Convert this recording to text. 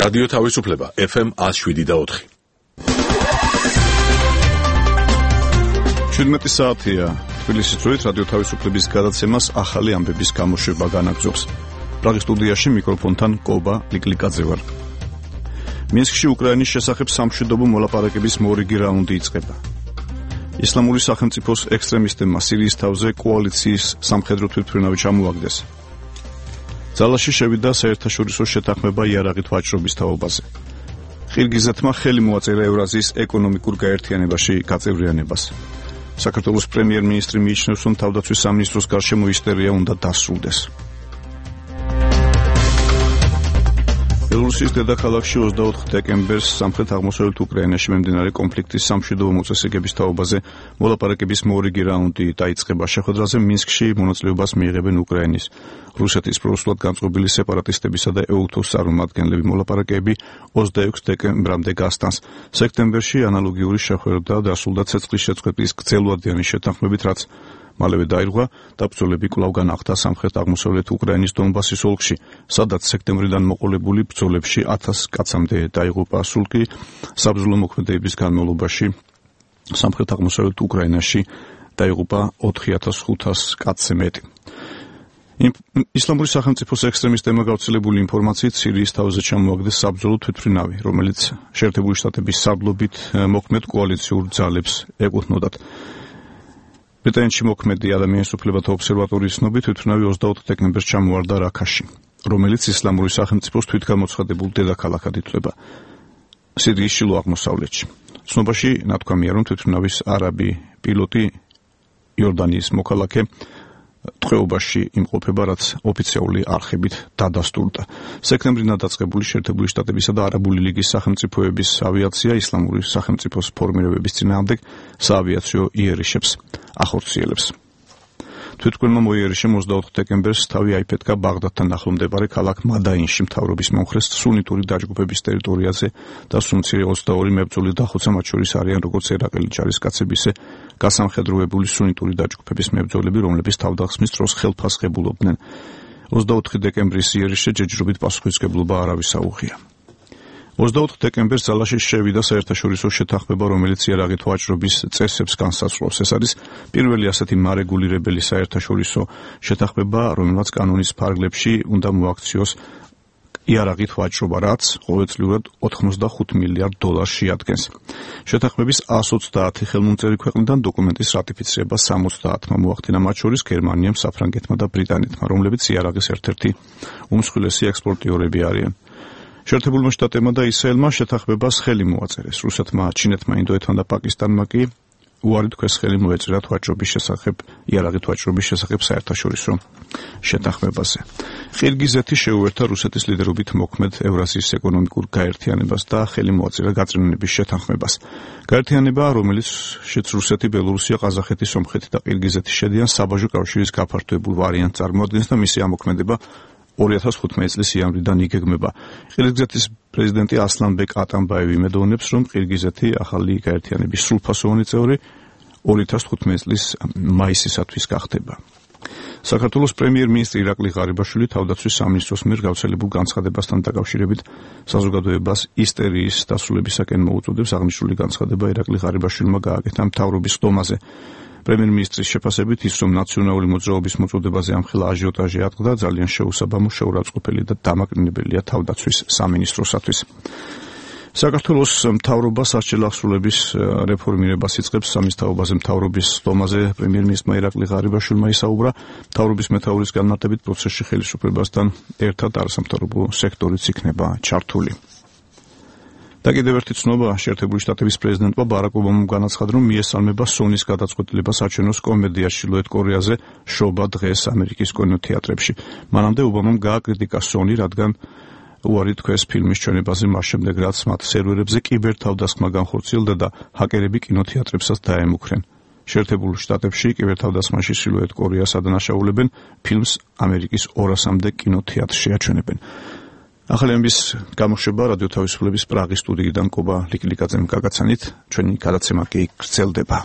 რადიო თავისუფლება FM 107.4. 17 საათია. თბილისის დროით რადიო თავისუფლების გადაცემას ახალი ამბების გამოშვება განაგრძობს. პრაღის სტუდიაში მიკროფონთან კობა ლიკლიკაძე ვარ. მინსკში უკრაინის შესახებ სამშვიდობო მოლაპარაკების მორიგი რაუნდი იწყება. ისლამური სახელმწიფოს ექსტრემისტებმა სირიის თავზე კოალიციის სამხედრო თვითმფრინავი ჩამოაგდეს. ძალაში შევიდა საერთაშორისო შეთანხმება იარაღით ვაჭრობის თაობაზე. ყირგიზეთმა ხელი მოაწერა ევრაზიის ეკონომიკურ გაერთიანებაში გაწევრიანებას. საქართველოს პრემიერ-მინისტრი მიიჩნევს, რომ თავდაცვის სამინისტროს გარშემო ისტერია უნდა დასრულდეს. ბელორუსის დედაქალაქში 24 დეკემბერს სამხრეთ-აღმოსავლეთ უკრაინაში მიმდინარე კონფლიქტის სამშვიდობო მოწესრიგების თაობაზე მოლაპარაკების მორიგი რაუნდი დაიწყება. შეხვედრაზე მინსკში მონაწილეობას მიიღებენ უკრაინის, რუსეთის პროსულად განწყობილი სეპარატისტებისა და EUTOS წარმომადგენლები. მოლაპარაკებები 26 დეკემბრამდე გასტანს. სექტემბერში ანალოგიური შეხვედრა დასრულდა ცეცხლის შეწყვეტის გრძელვადიანი შეთანხმებით, რაც მალევე დაირღვა და ბრძოლები კვლავ განახდა სამხრეთ-აღმოსავლეთ უკრაინის დონბასის ოლქში, სადაც სექტემბრიდან მოყოლებული ბრძოლებში 1000 კაცამდე დაიღუპა. სულ კი საბრძოლო მოქმედებების განმავლობაში სამხრეთ-აღმოსავლეთ უკრაინაში დაიღუპა 4500 კაცზე მეტი. ისლამური სახელმწიფოს ექსტრემისტებმა გავრცელებული ინფორმაციით სირიის თავზე ჩამოაგდეს საბრძოლო თვითმფრინავი, რომელიც შეერთებული შტატების სარდლობით მოქმედ კოალიციურ ძალებს ეკუთვნოდათ. ბრიტანეთში მოქმედი ადამიანის უფლებათა ობსერვატორიის ცნობით თვითმფრინავი 24 დეკემბერს ჩამოვარდა რაქაში, რომელიც ისლამური სახელმწიფოს თვითგამოცხადებულ დედაქალაქად ითვლება სირიის შილო აღმოსავლეთში. ცნობაში ნათქვამია, რომ თვითმფრინავის არაბი პილოტი იორდანიის მოქალაქე ტყვეობაში იმყოფება, რაც ოფიციალური არხებით დადასტურდა. სექტემბრიდან დაწყებული შეერთებული შტატებისა და არაბული ლიგის სახელმწიფოების ავიაცია ისლამური სახელმწიფოს ფორმირებების წინააღმდეგ საავიაციო იერიშებს ახორციელებს. თვითმფრინავმა მოიერიშე 24 დეკემბერს თავი აიფეთქა ბაღდადთან ახლომდებარე ქალაქ მადაინში მთავრობის მომხრეს სუნიტური დაჯგუფების ტერიტორიაზე და სუნცირე 22 მებრძოლი დახოცა, მათ შორის არიან როგორც ერაყელი ჯარისკაცები, ისე გასამხედროებული სუნიტური დაჯგუფების მებრძოლები, რომლებიც თავდასხმის დროს ხელფასხებულობდნენ. 24 დეკემბრის იერიშე ჯერჯერობით პასუხისმგებლობა არავის აუღია. 24 დეკემბერს ძალაში შევიდა საერთაშორისო შეთანხმება, რომელიც იარაღით ვაჭრობის წესებს განსაზღვრავს. ეს არის პირველი ასეთი მარეგულირებელი საერთაშორისო შეთანხმება, რომელმაც კანონის ფარგლებში უნდა მოაქციოს იარაღით ვაჭრობა, რაც ყოველწლიურად 85 მილიარდ დოლარს შეადგენს. შეთანხმების 130 ხელმომწერი ქვეყნიდან დოკუმენტის რატიფიცირება 70-მა მოახდინა, მათ შორის გერმანიამ, საფრანგეთმა და ბრიტანეთმა, რომლებიც იარაღის ერთ-ერთი უმსხვილესი ექსპორტიორები არიან. შეერთებულმა შტატებმა და ისრაელმა შეთანხმებას ხელი მოაწერეს. რუსეთმა, ჩინეთმა, ინდოეთმა და პაკისტანმა კი უარი თქვეს ხელი მოეწერათ იარაღით ვაჭრობის შესახებ საერთაშორისო შეთანხმებაზე. ყირგიზეთი შეუერთდა რუსეთის ლიდერობით მოქმედ ევრაზიის ეკონომიკურ გაერთიანებას და ხელი მოაწერა გაწმენდების შეთანხმებას. გაერთიანება, რომელშიც რუსეთი, ბელორუსია, ყაზახეთი, სომხეთი და ყირგიზეთი შედიან, საბაჟო კავშირის გაფართოებულ ვარიანტს წარმოადგენს და მისი ამოქმედება 2015 წლის იანვრიდან იგეგმება. ყირგიზეთის პრეზიდენტი ასლანბეკ ატამბაევი იმედოვნებს, რომ ყირგიზეთი ახალი გაერთიანების სრულფასოვანი წევრი 2015 წლის მაისისათვის გახდება. საქართველოს პრემიერ-მინისტრი ირაკლი ღარიბაშვილი თავდაცვის სამინისტროს მიერ გავრცელებულ განცხადებასთან დაკავშირებით საზოგადოებას ისტერიის დასრულებისაკენ მოუწოდებს. აღნიშნული განცხადება ირაკლი ღარიბაშვილმა გააკეთა მთავრობის ხდომაზე. პრემიერ-მინისტრის შეფასებით ის, რომ ნაციონალური მოძრაობის მოწოდებაზე ამხელა აჟიოტაჟი ატყდა, ძალიან შეუსაბამო, შეურაცხყოფელი და დამაკნინებელია თავდაცვის სამინისტროსათვის. საქართველოს მთავრობა სასჯელ აღსრულების რეფორმირებას იწყებს. სამის თაობაზე მთავრობის ხდომაზე პრემიერ-მინისტრმა ირაკლი ღარიბაშვილმა ისაუბრა. მთავრობის მეთაურის განმარტებით პროცესში ხელისუფლებასთან ერთად არასამთავრობო სექტორიც იქნება ჩართული. და კიდევ ერთი ცნობა, შეერთებული შტატების პრეზიდენტმა ბარაკ ობამამ განაცხადა, რომ მიესალმება სონის გადაწყვეტილებას აჩვენოს კომედია ჩრდილოეთ კორეაზე შობა დღეს ამერიკის კინოთეატრებში. მანამდე ობამამ გააკრიტიკა სონი, რადგან უარი თქვეს ფილმის ჩვენებაზე მას შემდეგ, რაც მათ სერვერებზე კიბერთავდასხმა განხორციელდა და ჰაკერები კინოთეატრებსაც დაემუქრენ. შეერთებულ შტატებში კიბერთავდასხმაში ჩრდილოეთ კორეას ადანაშაულებენ, ფილმს ამერიკის 200-მდე კინოთეატრში აჩვენებენ. ახალი ამბის გამოშვება რადიო თავისუფლების პრაღის სტუდიიდან კობა ლიკლიკაძემ გაგაცანით, ჩვენი გადაცემა კი გრძელდება.